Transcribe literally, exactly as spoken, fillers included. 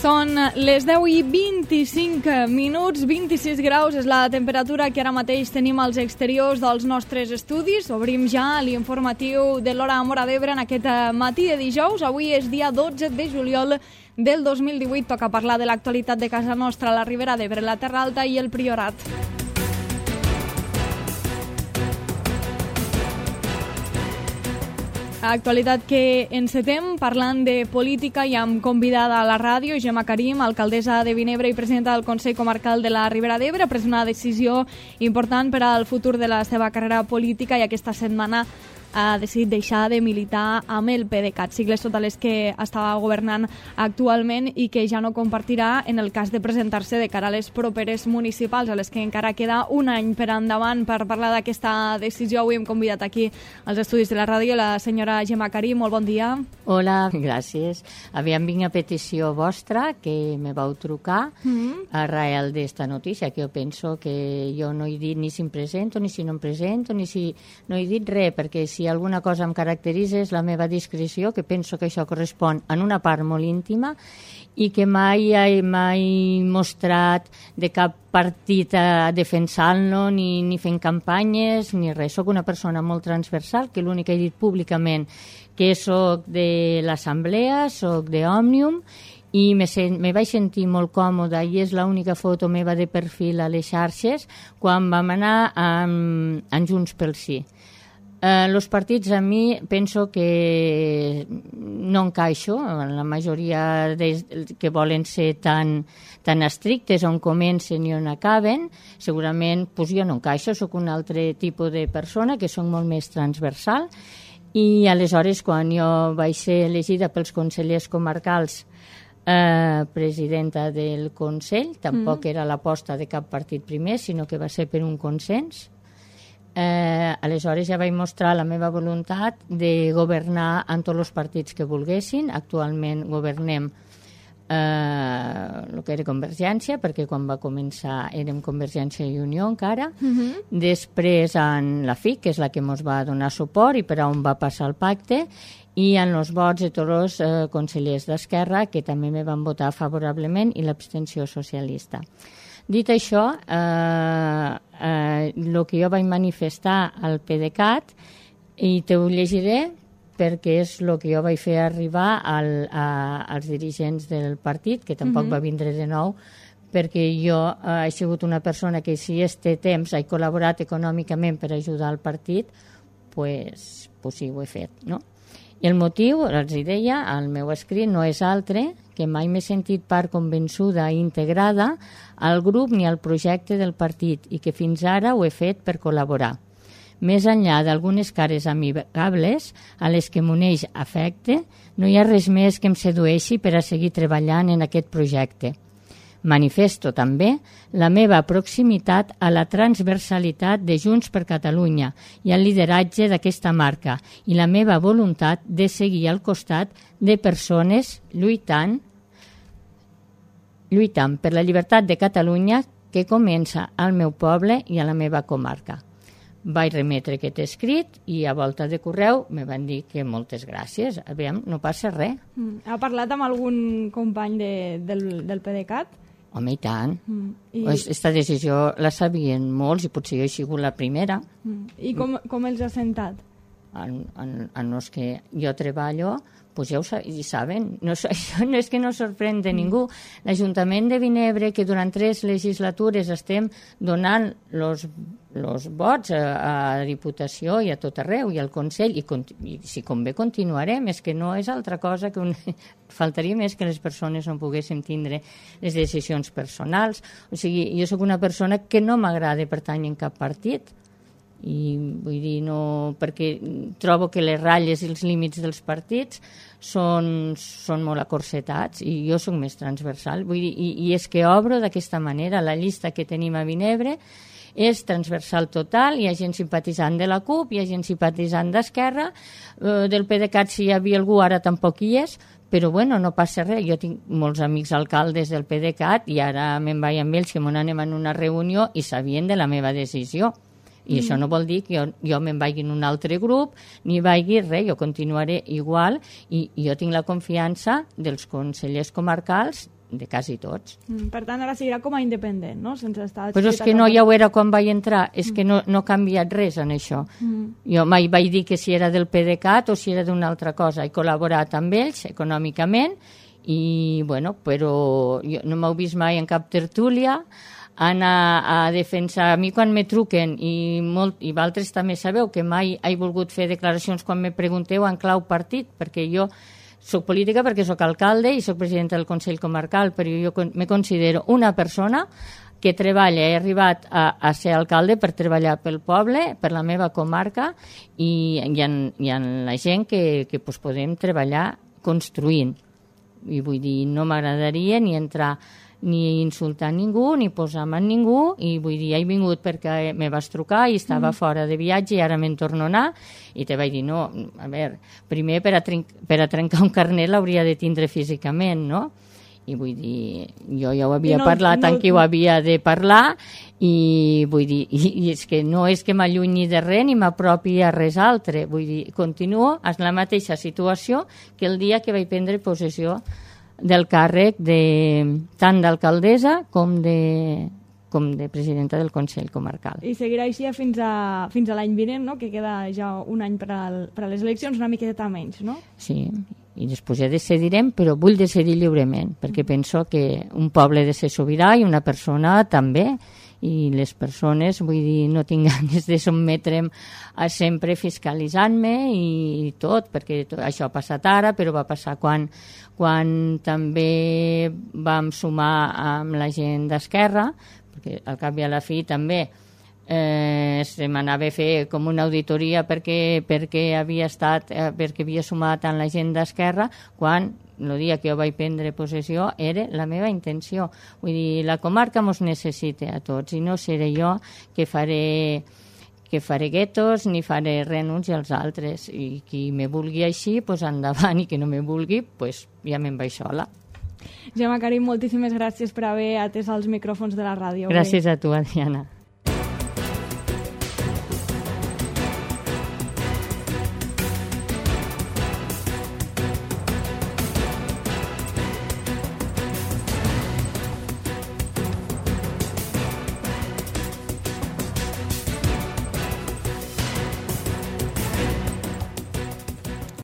Són les deu i vint-i-cinc minuts, vint-i-sis graus és la temperatura que ara mateix tenim als exteriors dels nostres estudis. Obrim ja l'informatiu de l'Hora Móra d'Ebre en aquest matí de dijous. Avui és dia dotze de juliol del dos mil divuit. Toca parlar de l'actualitat de casa nostra, la Ribera d'Ebre, la Terra Alta i el Priorat. Actualitat que encetem parlant de política i amb convidada a la ràdio, Gemma Karim, alcaldessa de Vinebre i presidenta del Consell Comarcal de la Ribera d'Ebre. Ha pres una decisió important per al futur de la seva carrera política i aquesta setmana ha decidit deixar de militar amb el PDeCAT, sigles totes les que estava governant actualment i que ja no compartirà en el cas de presentar-se de cara a les properes municipals, a les que encara queda un any per endavant. Per parlar d'aquesta decisió, avui hem convidat aquí als estudis de la ràdio la senyora Gemma Karim. Molt bon dia. Hola, gràcies. Aviam, vinc a petició vostra, que me vau trucar mm-hmm. arrel d'esta notícia, que jo penso que jo no he dit ni si em presento, ni si no em presento, ni si no he dit res, perquè si alguna cosa em caracteritza és la meva discreció, que penso que això correspon en una part molt íntima i que mai he mai mostrat de cap partit a defensar-lo, ni, ni fent campanyes, ni res. Soc una persona molt transversal, que l'únic que he dit públicament que soc de l'Assemblea, soc d'Òmnium, i me, sen, me vaig sentir molt còmoda i és l'única foto meva de perfil a les xarxes quan vam anar amb, amb Junts pel Sí. Eh, los partits a mi penso que no encaixo, la majoria de, que volen ser tan, tan estrictes on comencen i on acaben, segurament pues, jo no encaixo, sóc un altre tipus de persona que soc molt més transversal i aleshores quan jo vaig ser elegida pels consellers comarcals eh, presidenta del Consell, tampoc mm. era l'aposta de cap partit primer, sinó que va ser per un consens. Eh, aleshores ja vaig mostrar la meva voluntat de governar amb tots els partits que volguessin. Actualment governem eh, el que era Convergència, perquè quan va començar érem Convergència i Unió encara. Uh-huh. Després en la F I C, que és la que ens va donar suport i per on va passar el pacte, i en els vots de tots els eh, consellers d'Esquerra, que també me van votar favorablement, i l'abstenció socialista. Dit això, eh, eh, el que jo vaig manifestar al PDeCAT, i te ho llegiré perquè és el que jo vaig fer arribar al, a, als dirigents del partit, que tampoc uh-huh. va vindre de nou, perquè jo eh, he sigut una persona que si este temps he col·laborat econòmicament per ajudar el partit, pues, pues sí, ho he fet, no? I el motiu, els deia, el meu escrit no és altre que mai m'he sentit part convençuda i integrada al grup ni al projecte del partit i que fins ara ho he fet per col·laborar. Més enllà d'algunes cares amigables a les que m'uneix afecte, no hi ha res més que em sedueixi per a seguir treballant en aquest projecte. Manifesto també la meva proximitat a la transversalitat de Junts per Catalunya i al lideratge d'aquesta marca i la meva voluntat de seguir al costat de persones lluitant, lluitant per la llibertat de Catalunya que comença al meu poble i a la meva comarca. Vaig remetre aquest escrit i a volta de correu me van dir que moltes gràcies, aviam, no passa res. Mm. Ha parlat amb algun company de, del, del PDeCAT? Home, i tant. Mm. I... Aquesta decisió la sabien molts i potser jo he sigut la primera. Mm. I com, com els ha sentat? En, en, en els que jo treballo, pues ja ho sa i saben. No, això no és que no sorprèn de ningú. L'Ajuntament de Vinebre, que durant tres legislatures estem donant els los vots a, a Diputació i a tot arreu, i al Consell, i, i si convé continuarem, és que no és altra cosa que un... faltaria més que les persones no poguessin tindre les decisions personals. O sigui, jo sóc una persona que no m'agrada pertànyer en cap partit, i vull dir, no, perquè trobo que les ratlles i els límits dels partits són, són molt acorsetats i jo soc més transversal, vull dir, i, i és que obro d'aquesta manera. La llista que tenim a Vinebre és transversal total, hi ha gent simpatitzant de la CUP, hi ha gent simpatitzant d'Esquerra, eh, del PDeCAT si hi havia algú, ara tampoc hi és, però bueno, no passa res. Jo tinc molts amics alcaldes del PDeCAT i ara me'n vaig amb ells, que m'on anem en una reunió i sabien de la meva decisió. I mm. això no vol dir que jo, jo me'n vagi en un altre grup, ni vagi res, jo continuaré igual i, i jo tinc la confiança dels consellers comarcals de quasi tots. Mm, per tant, ara seguirà com a independent, no? Sense estar... Però és que no, ja ho era quan vaig entrar, és que no, no ha canviat res en això. Mm. Jo mai vaig dir que si era del PDeCAT o si era d'una altra cosa. He col·laborat amb ells econòmicament i, bueno, però jo no m'heu vist mai en cap tertúlia anar a defensar. A mi quan me truquen, i, molt, i vosaltres també sabeu que mai he volgut fer declaracions quan me pregunteu en clau partit, perquè jo soc política perquè soc alcalde i soc presidenta del Consell Comarcal, però jo me considero una persona que treballa, he arribat a, a ser alcalde per treballar pel poble, per la meva comarca, i hi ha, hi ha la gent que, que pues, podem treballar construint. I vull dir, no m'agradaria ni entrar ni insultar ningú, ni posar-me en ningú, i vull dir, he vingut perquè me vas trucar i estava mm. fora de viatge i ara me'n torno a anar, i te vaig dir, no, a veure, primer per a, per a trencar un carnet l'hauria de tindre físicament, no? I vull dir, jo ja ho havia no, parlat no, amb qui ho havia de parlar, i vull dir, i, i és que no és que m'allunyi de res ni m'apropi a res altre, vull dir, continuo en la mateixa situació que el dia que vaig prendre possessió del càrrec de, tant d'alcaldessa com de, com de presidenta del Consell Comarcal. I seguirà així fins a, fins a l'any vinent, no? Que queda ja un any per, al, per a les eleccions, una miqueta menys, no? Sí, i després ja decidirem, però vull decidir lliurement, perquè penso que un poble ha de ser sobirà i una persona també, i les persones, vull dir, no tinc ganes de sotmetre'm a sempre fiscalitzant-me i tot, perquè tot, això ha passat ara, però va passar quan, quan també vam sumar amb la gent d'Esquerra, perquè al cap i a la fi també eh, se m'anava a fer com una auditoria perquè, perquè havia estat, eh, perquè havia sumat tant la gent d'Esquerra, quan el dia que jo vaig prendre possessió era la meva intenció. Vull dir, la comarca mos necessita a tots i no seré jo que faré que faré guetos ni faré renunci als altres, i qui me vulgui així, pues endavant, i qui no me vulgui, pues ja me'n vaig sola. Gemma Karim, moltíssimes gràcies per haver atès els micròfons de la ràdio. Gràcies a tu, Adriana.